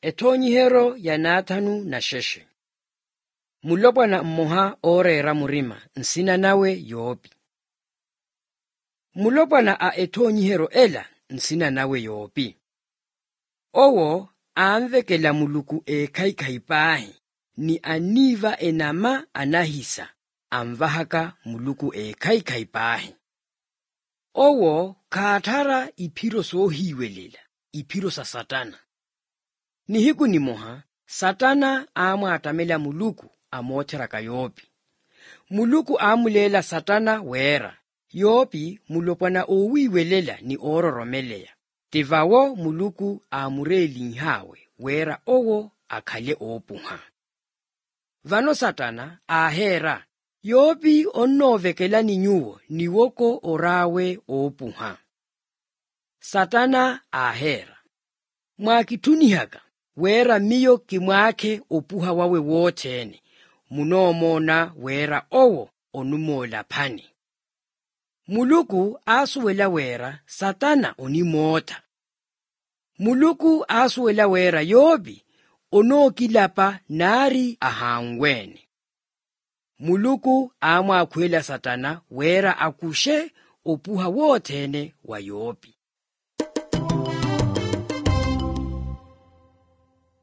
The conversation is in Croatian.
Ethonyihero ya Nathanu na Sheshe. Mulopwana mmoha orera murima nsina nawe Yobi. Mulopwana a ethonyihero ela nsina nawe Yobi. Owo aanvekela muluku ekhaikaipahi ni aniva enama anahisa amvahaka muluku ekhaikaipahi. Owo kaathara iphiro sohiwelela iphiro sa Satana. Nihiku ni moha Satana amwatamela muluku amotheraka Yobi. Muluku amulela Satana wera. Yobi mulopwana owiwelela ni ororomeleya. Tivawo muluku amureli nhawe wera owo akhale opuha. Vano Satana ahera. Yobi onnovekela ninyuwo niwoko orawe opuha. Satana ahera. Mwakithunihaka wera miyo kimwake opuha wawe wothene. Munomona wera owo onumola phani. Muluku asuwela wera Satana onimotha. Muluku asuwela wera Yobi onokilapa nari ahangwene. Muluku amwakhwela Satana wera akushe opuha wothene wa Yobi.